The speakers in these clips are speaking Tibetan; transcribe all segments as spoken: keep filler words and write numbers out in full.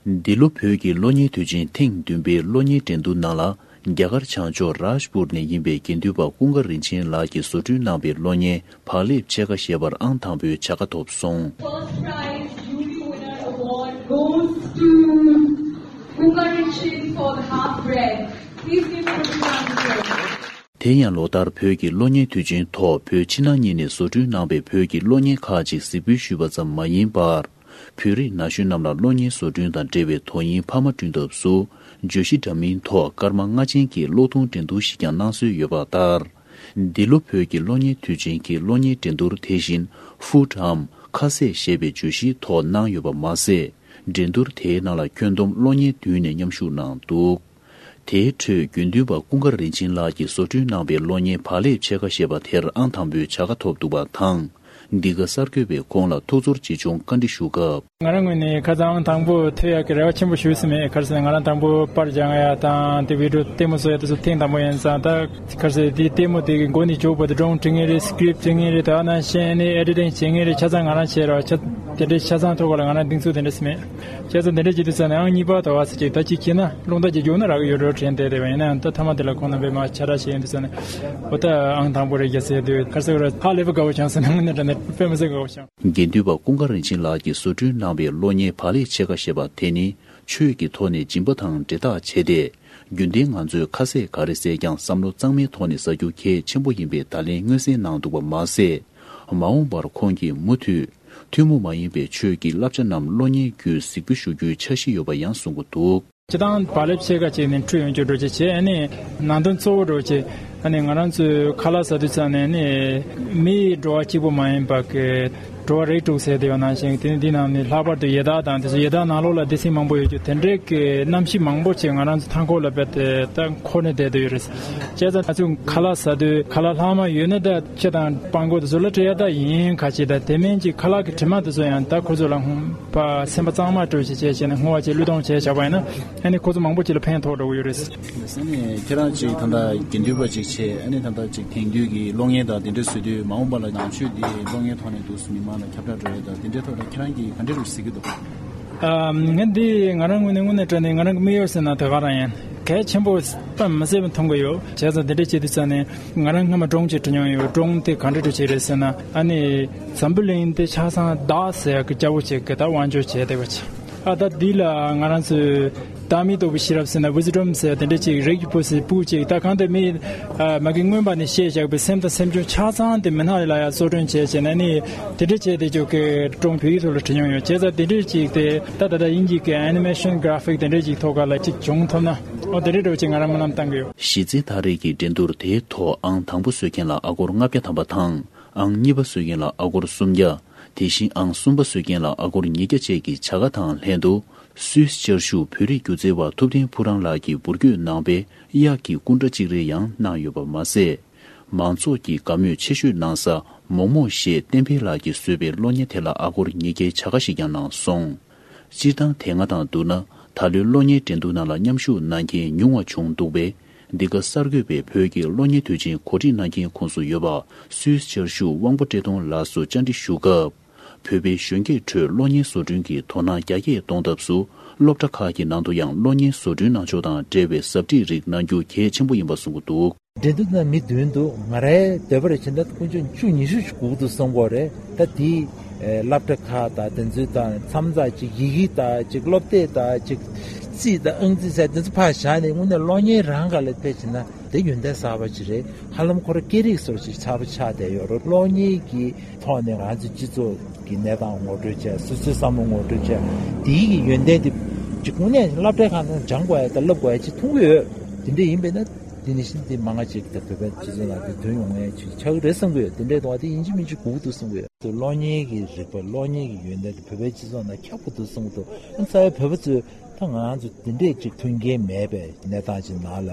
འདི་ལོ་བོད་ཀྱི་གློག་བརྙན་དུས་ཆེན་ཐེངས་བདུན་པའི་གློག་བརྙན་འགྲན་བསྡུར་ནང་ལ། རྒྱ་གར་བྱང་ཕྱོགས་རཱཇ་པུར་ནས་ཡིན་པའི་དགེ་འདུན་པ་ཀུན་དགའ་རིན་ཆེན་ལགས་ཀྱིས་བཟོ་སྐྲུན་གནང་པའི་གློག་བརྙན་བག་ལེབ་ཕྱེད་ཀ་ཞེས་པར་ཨང་དང་པོའི་བྱ་དགའ་ཐོབ་སོང་། First prize jury winner award goes to Kunga Richin for the half bread. Please give him a round of applause. དེ་ཡང་ལོ་ལྟར་བོད་ཀྱི་གློག་བརྙན་དུས་ཆེན་ཐོག་བོད་ཕྱི་ནང་གཉིས་ནས་བཟོ་སྐྲུན་གནང་པའི་བོད་ཀྱི་གློག་བརྙན་ཁག་ཅིག་གཟིགས་འབུལ་ཞུས་པ་ཙམ་མ་ཡིན་པར། བོད་རིགས་ན་གཞོན་རྣམས་ལ་གློག་བརྙན་བཟོ་སྐྲུན་དང་འབྲེལ་བའི་དོ་དབྱིངས་འཕར་མ་བསྐྲུན་ཐབས་སུ། བརྗོད་གཞི་འདྲ་མིན་ཐོག་སྐར་མ་ལྔ་ཅན་གྱི་གློག་ཐུང་འགྲན་བསྡུར་ཞིག་ཀྱང་གནང་སྲོལ་ཡོད་པ་ལྟར། འདི་ལོ་བོད་ཀྱི་གློག་བརྙན་དུས་ཆེན་གྱི་གློག་བརྙན་འགྲན་བསྡུར་དེ་བཞིན་ཧྥུཊ་འམ་ཁ་ཟས་ཞེས་པའི་བརྗོད་གཞིའི་ཐོག་གནང་ཡོད་པ་མ་ཟད། འགྲན་བསྡུར་དེའི་ནང་ལ་ཁྱོན་བསྡོམས་གློག་བརྙན་བདུན་ནས་མཉམ་ཞུགས་གནང་འདུག་དེའི་ཁྲོད་དགེ་འདུན་པ་ཀུན་དགའ་རིན་ཆེན་ལགས་ཀྱིས་བཟོ་སྐྲུན་གནང་པའི་གློག་བརྙན་བག་ལེབ་ཕྱེད་ཀ་ཞེས་པ་དེར་ཨང་དང་པོའི་བྱ་དགའ་ཐོབ་འདུག་པ་དང་། འདི་ག་གསར་འགོད་པས་ཁོང་ལ་ཐུགས་ཚོར་ཆེ་ཆུང་བཀའ་འདྲི་ཞུ་སྐབས། ང་རང་ངོས་ནས་ཁ་སང་ཨང་དང་པོ་ཐོན་ཡག་གི་རེ་བ་ཆེན་པོ་ཞུས་ཟིན་མེད། ག་རེ་ཟེར་ན་ང་རང་དང་པོ་པར་སྦྱང་ཡག་དང་དེ་བི་ཌི་ཡོ་ལྟད་མོ་བཟོ་ཡག་དེ་ཚོ་ཐེངས་དང་པོ་ཡིན་ཙང་ད་ག་རེ་ཟེར་དེ་ལྟད་མོ་དེ་གི་མགོ་ནས་མཇུག་བར་དུ་སྒྲུང་འབྲི་མཁན་རེད། སི་ཀི་རིབ་འབྲི་མཁན་རེད། དེ་ནང་བཞིན་ཨེ་ནི་ཨེ་ཌི་ཊིང་བྱེད་མཁན་རེད། ཆ་ཚང་ང་རང་བྱས་རོགས་ཆ་དེ་འདྲའི་ཆ་ཚང་ཐོག་ལ་ང་རང་གདེང་ཚོད་དེ་འདྲ་ཟིན་མེད། བྱས་ཙང་དེ་འདྲ་བྱེད་དུས་ཙང་ནས་ཨང་གཉིས་པ་དོ་བ་ཟེར་ཅིག་ད་ཅིག་ཁྱེད་ན་རླུང་རྟ་ཅིག་རྒྱུག་ན་རག་གི་ཡོད་འགྲོ་དྲན་བསྡད་དེ་བ་ཡིན་ན་ཡང་ད་ཐ་མ་དེ་ལ་ཁོང་རྣམ་པས་མ་ཆ་ར་བྱེད་ཡོང་དུས་ཙང་ནས་འོ་ད་ཨང་དང་པོ་རེད་རྒྱ་ཟེར་དུས་ཁ་སང་ར་ཧ་ལས་པ་དགའ་བོ་བྱུང་ཟེར་ན་དངོས་གནས་དྲང་གནས་དཔེ་མི་སྲིད་དགའ་བོ་བྱུང་། དགེ་འདུན་པ་ཀུན་དགའ་རིན་ཆེན་ལགས་ཀྱིས་བཟོ་སྐྲུན་གནང་པའི་གློག་བརྙན་བག་ལེབ་ཕྱེད་ཀ་ཞེས་པ་དེ་ནི་ཆོས་ཀྱི་ཐོག་ནས་སྦྱིན་པ་དང་འབྲེལ་ཐག་ཆད་དེ། རྒྱུན་ལྡན་ང་ཚོས་ཁ་ཟས་ག་རེ་ཟས་ཀྱང་བསམ་བློ་གཙང་མའི་ཐོག་ནས་ཟ་རྒྱུ་གལ་ཆེན་པོ་ཡིན་པའི་བརྡ་ལན་མངོན་གསལ་གནང་འདུག་པ་མ་ཟད། མ་འོངས་པར་ཁོང་གིས་མུ་མཐུད་ཐུན་མོང་མ་ཡིན་པའི་ཆོས་ཀྱི་བསླབ་བྱ་རྣམས་གློག་བརྙན་བརྒྱུད་གཟིགས་འབུལ་ཞུ་རྒྱུའི་འཆར་གཞི་ཡོད་པ་ཡང་གསུང་གི་འདུག་སྤྱིར་བཏང་བག་ལེབ་ཕྱེད་ཀ་ཅིག་ནས་འཁྲུད་ཡོང་རྒྱུ་འགྲོ་ཅིག་བྱས། ཨ་ནི་ནང་དོན་གཙོ་བོ་འགྲོ་ཅིག་ཨ་ནི་ང་རང་ཚོའི་ཁ་ལག་ཟ་དུས་ཙམ་ནས་ནི་མིའི་འགྲོ་བ་གཅིག་པུ་མ་ཡིན་པ་གི་འགྲོ་བ་རིགས་དྲུག་ཟེར་དེ་ཡོད་ནང་བཞིན་དེ་ནི་འདི་ནང་ནི་ལྷག་པར་དུ་ཡི་དྭགས་དང་དེ་ཚོ་ཡི་དྭགས་ནང་ལོགས་ལ་སྡེ་ཚན་མང་པོ་ཡོད་རྒྱུ་དེ་འདྲའི་གི་གནམ་གཤིས་མང་པོ་ཅིག་ང་རང་ཚོ་མཐའ་འཁོར་ལ་རྦད་དེ་ད་འཁོར་ནས་བསྡད་དུ་ཡོད་རེད། བྱས་ཙང་ང་ཚོ་ཁ་ལག་ཟ་དུས་ཁ་ལག་ལྷག་མ་ཡོད་ན་ད་ཁྱི་དང་སྤང་གོ་དེ་ཚོ་ལ་སྤྲད་ཡ་ད་ཡིན་ཁ་ཅིག་ད་དེ་མིན་ཅིག་ཁ་ལག་གི་དྲི་མ་དེ་ཚོ་ཡང་ད་ཁོ་ཚོ་ལ་ཧུམ། པ་སེམས་པ་གཙང་མ་སྤྲོད་བྱེད་བྱས་བྱས་ནས་བསྔོ་བ་བྱེད་བློས་གཏོང་བྱས་བཞག་པ་ཡིན་ན་ཨ་ནི་ཁོ་ཚོ་མང་པོ་ཅིག་ལ་ཕན་ཐོགས་འགྲོ་གི་ཡོད་རེད། ཨ་ནི་ཁྱེད་རང་ཅིག་ད་ལྟ་དགེ་འདུན་པ་ཅིག་བྱས་ཨ་ནི་ད་ལྟ་ཅིག་དེང་དུས་ཀྱི་གློག་བརྙན་དང་དེ་འདྲ་བཟོ་དུས་མ་འོངས་པ་ལ་ནང་ཆོས་འདི་གློག་བརྙན་ཐོག་ནས་འདུག་སེ་མི་མང་ལ་ཁྱབ་བསྒྲགས་འགྲོ་ཡས་དང་དེ་འདྲའི་ཐོག་ལ་ཁྱེད་རང་གིས་ག་འདྲ་རུ་གཟིགས་ཀྱི་འདུག་ཨ་ངས་འདི་ང་རང་ངོས་ནས་དངོས་གནས་དྲང་གནས་ང་རང་གི་དམིགས་ཡུལ་ཟེར་ན་དེ་ག་རང་ཡིན། གལ་ཆེན་པོ་དཔེ་མི་སྲིད་པ་མཐོང་གི་ཡོད། བྱས་ཙང་དེ་འདྲ་བྱེད་དུས་ཙང་ནས་ང་རང་སྔ་མ་སྒྲུང་ཅིག་འབྲི་མྱོང་ཡོད། སྒྲུང་དེ་ག་འདྲ་འདྲ་ཅིག་རེད་ཟེར་ན་ཨ་ནི་འཛམ་བུ་གླིང་འདི་ཆ་ཚང་བདག་ཟེར་ཡག་གི་སྐྱ་བོ་ཅིག་གི་ད་དབང་སྒྱུར་བྱས་བསྡད་པ་ཅིག་ཨ་ད་འདི་ལ་ང་རང་ཚོས་བདག་མེད་རྟོགས་པའི་ཤེས་རབ་ཟེར་ན་wisdom ཟེར་དེ་འདྲ་ཅིག་རིགས་ཀྱི་བུ་ཟེར་བུ་ཅིག་ད་གང་ལྟར་མི་ཨ་མ་གི་མངོན་པ་ནས་བཤད་བཞག་པའི་སེམས་དང་སེམས་བྱུང་ཆ་ཚང་དེ་མི་སྣ་ལ་ཡང་གསོ་སྐྲུན་བྱས་བྱས་ནས་ནི་དེ་འདྲ་བྱས་ཏེ་ཅིག་གི་སྒྲུང་བོད་ཡིག་ཐོག་ལ་བྲིས་མྱོང་ཡོད། བྱས་ཙང་དེ་འདྲ་ཅིག་དེ་ད་ད་ལྟ་དབྱིན་ཇི་གི་animation graphic དེ་འདྲ་ཅིག་ཐོག་ཁ་ལ་ཅིག་བྱུང་ཐུབ་ན་ཨོ་དེ་འདྲ་འདྲ་བོ་ཅིག་ང་རང་སྨོན་ལམ་བཏང་གི་ཡོད། གཞི་རྩའི་ཐག་རིང་གི་འགྲན་བསྡུར་དེའི་ཐོག་ཨང་དང་པོ་བཟོས་མཁན་ལ་ཨ་སྒོར་ལྔ་བརྒྱ་ཐམ་པ་དང་། ཨང་གཉིས་པ་བཟོས་མཁན་ལ་ཨ་སྒོར་སུམ་བརྒྱ། དེ་བཞིན་ཨང་གསུམ་པ་བཟོས་མཁན་ལ་ཨ་སྒོར་ཉིས་བརྒྱ་བཅས་ཀྱི་བྱ་དགའ་དང་ལྷན་དུ། སུད་སི་བཅའ་བཞུགས་བོད་རིགས་སྒྱུ་རྩལ་བ་ཐུབ་བསྟན་ཕུག་རོན་ལགས་ཀྱིས་འབུར་སྐྱོད་གནང་པའི་གཡག་གི་སྐུ་འདྲ་གཅིག་རེ་ཡང་གནང་ཡོད་པ་མ་ཟད། མང་ཚོགས་ཀྱིས་དགའ་མོས་ཆེ་ཤོས་གནང་ས་མོག་མོག་ཞེས་བསྟན་འཕེལ་ལགས་ཀྱིས་བཟོས་པའི་གློག་བརྙན་དེ་ལ་ཨ་སྒོར་ཉིས་བརྒྱའི་བྱ་དགའ་ཞིག་ཀྱང་གནང་སོང་། སྤྱིར་བཏང་དེ་སྔ་དང་བསྡུར་ན་ད་ལོའི་གློག་བརྙན་འགྲན་བསྡུར་ནང་ལ་མཉམ་ཞུགས་གནང་མཁན་ཉུང་བ་བྱུང་འདུག་པས། འདི་ག་གསར་འགོད་པས་བོད་ཀྱི་གློག་བརྙན་དུས་ཆེན་གོ་སྒྲིག་གནང་མཁན་ཁོངས་སུ་ཡོད་པ་སུད་སི་བཅའ་བཞུགས་དབང་པོ་བཀྲས་མཐོང་ལགས་སུ་བཅར་འདྲི་ཞུ་སྐབས། བོད་པའི་གཞོན་སྐྱེས་ཁྲོད་གློག་བརྙན་བཟོ་སྐྲུན་གྱི་དོ་སྣང་རྒྱ་སྐྱེད་གཏོང་ཐབས་སུ་སློབ་གྲྭ་ཁག་གི་ནང་དུ་ཡང་གློག་བརྙན་བཟོ་སྐྲུན་གནང་ཕྱོགས་དང་འབྲེལ་བའི་ཟབ་ཁྲིད་རིགས་གནང་རྒྱུ་གལ་ཆེན་པོ་ཡིན་པ་གསུང་གི་འདུག་འགྲན་བསྡུར་ནང་མི་བདུན་འདུག་ང་རའི་འདོད་པ་རེ་བྱས་ན་དཀོན་མཆོག་བཅུ་ཉི་ཤུ་ཞིག་སྒུག་འདུག་བསམ་གྱི་ཡོད་རེད། ད་དེ་སློབ་གྲྭ་ཁག་དང་དེ་ཚོའི་དང་མཚམས་ཚགས་ཅིག་ཡི་གེ་དང་ཅིག་སློབ་དེབ་དང་ཅིག་རྩིས་དང་ཨང་རྩིས་ཟེར་དེ་ཚོ་ཕར་བཞག་ནས་དངོས་གནས་གློག་བརྙན་རང་སྒང་ལ་ཕེབས་བྱས་ན་དེ་ཡོན་ཏན་གསར་པ་ཅིག་རེད། ཧ་ལམ་ཁོ་རང་སྐད་རིགས་སོགས་ཅིག་གསར་པ་ཆགས་བསྡད་ཡོད་རེད། གློག་བརྙན་གྱི་ཐོག་ནས་ང་ཚོའི་སྤྱི་ཚོགས་ཀྱི་གནས་སྟངས་ངོ་སྤྲོད་བྱས། སོ་སོའི་བསམ་བློ་ངོ་སྤྲོད་བྱས། དེའི་གི་ཡོན་ཏན་དེ་ཅིག་དངོས་གནས་སློབ་གྲྭའི་ཁང་ནང་སྦྱང་དགོས་ཡ་དང་བསླབ་དགོས་ཡ་ཅིག་མཐོང་གི་ཡོད། དེ་འདྲ་ཡིན་པས་ན་དེ་ནི་བཞིན་དེ་མང་ང་ཅིག་དང་བོད་པའི་སྤྱི་ཚོགས་ནང་དེ་ཐོན་ཡོང་ཡ་ཅིག་ཆགས་ཀྱི་རེད་བསམ་གི་ཡོད། དེ་འདྲའི་དོན་དེ་ཡིན་གཅིག་མིན་གཅིག་དགོས་ཀྱི་འདུག་བསམ་གི་ཡོད། དེ་གློག་བརྙན་གྱི་རིག་པ་གློག་བརྙན་གྱི་ཡོན་ཏན་དེ་བོད་པའི་སྤྱི་ཚོགས་ནང་ཁྱབ་དགོས་འདུག་བསམ་གི་འདུག་ཨ་རྩ་བའི་བོད་པ་ཚོས་ད་ང་ཚོ་དེ་འདྲས་ཅིག་མཐུན་རྐྱེན་མེད་པའི་གནས་སྟངས་ཅིག་ནང་ལ་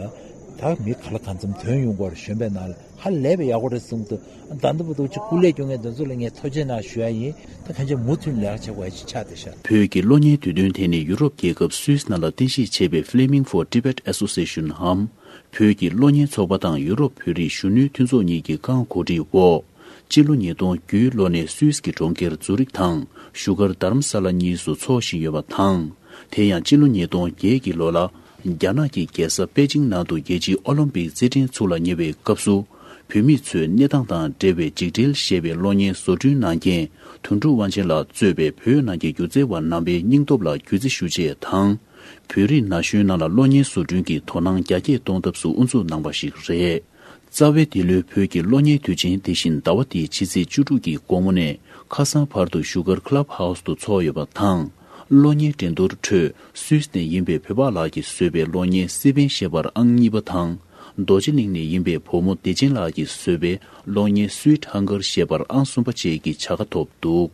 ད་མི་ག་ལ་གང་འཚམ་ཐོན་ཡོང་གི་རེད། གཞོན་པའི་ནང་ལ། ཧ་ལས་པའི་ཡག་པོ་རེད་གསུངས་འདུག་ད་ལྟ་བར་དུ་ཅིག་སྐུ་ལས་སྐྱོན་མཁན་དེ་ཚོ་ལ་ངས་ཐུགས་རྗེ་གནང་ཞུ་ཡ་ཡིན། ད་གང་ཅི་མུ་མཐུད་ལས་ཀ་བྱེད་དགོས་ཡ་ཅིག་ཆགས་བསྡད་ཤག་བོད་ཀྱི་གློག་བརྙན་དུས་སྟོན་དེ་ནི་ཡུ་རོབ་རྒྱལ་ཁབ་སུད་སི་ནང་ལ་རྟེན་གཞི་བྱས་པའི་Filming for Tibet Association འམ། བོད་ཀྱི་གློག་བརྙན་ཚོགས་པ་དང་ཡུ་རོབ་བོད་རིགས་གཞོན་ནུའི་མཐུན་ཚོགས་གཉིས་ཀྱི་རྐང་གོ་སྒྲིག་འོག་སྤྱི་ལོ་ཉིས་སྟོང་བརྒྱད་ལོ་ནས་སུད་སི་གི་གྲོང་ཁྱེར་ཛུ་རིག་དང་བཞུགས་སྒར་དྷ་རམ་ས་ལ་གཉིས་སུ་འཚོགས་བཞིན་ཡོད་པ་དང་། དེ་ཡང་སྤྱི་ལོ་ཉིས་སྟོང་བརྒྱད་ཀྱི་ལོ་ལ། རྒྱ་ནག་གི་རྒྱལ་ས་པེ་ཅིང་ནང་དུ་རྒྱལ་སྤྱིའི་ཨོ་ལིམ་པིག་རྩེད་འགྲན་ཚུགས་ལ་ཉེ་བའི་སྐབས་སུ། བུད་མེད་ཚོའི་གནས་སྟངས་དང་འབྲེལ་བའི་འཇིགས་བྲལ་ཞེས་པའི་གློག་བརྙན་བཟོ་སྐྲུན་གནང་མཁན་དོན་གྲུབ་དབང་ཆེན་ལགས་གཙོས་པའི་བོད་ནང་གི་སྒྱུ་རྩལ་བ་རྣམ་པའི་སྙིང་སྟོབས་ལ་གུས་བརྩི་ཞུ་ཆེད་དང་། བོད་རིགས་ན་གཞོན་རྣམས་ལ་གློག་བརྙན་བཟོ་སྐྲུན་གྱི་དོ་སྣང་རྒྱ་སྐྱེད་གཏོང་ཐབས་སུ་དབུ་འཛུགས་གནང་བ་ཞིག་རེད། རྩ་བའི་འདི་ལོའི་བོད་ཀྱི་གློག་བརྙན་དུས་ཆེན་དེ་བཞིན་ཟླ་བ་འདིའི་ཕྱི་ཚེས་བཅུ་དྲུག་གི་དགོང་མོ་ནས་ཁ་སང་བར་དུ་བཞུགས་སྒར་Club House་དུ་འཚོགས་ཡོད་པ་དང་། གློག་བརྙན་འགྲན་བསྡུར་ཁྲོད་སུད་སི་ནས་ཡིན་པའི་བོད་པ་ལགས་ཀྱིས་བཟོས་པའི་གློག་བརྙན་སི་པན་ཞེས་པར་ཨང་གཉིས་པ་དང་། རྡོ་རྗེ་གླིང་ནས་ཡིན་པའི་བུ་མོ་བདེ་ཆེན་ལགས་ཀྱིས་བཟོས་པའི་གློག་བརྙན་Sweet Hunger་ཞེས་པར་ཨང་གསུམ་པ་བཅས་ཀྱི་བྱ་དགའ་ཐོབ་འདུག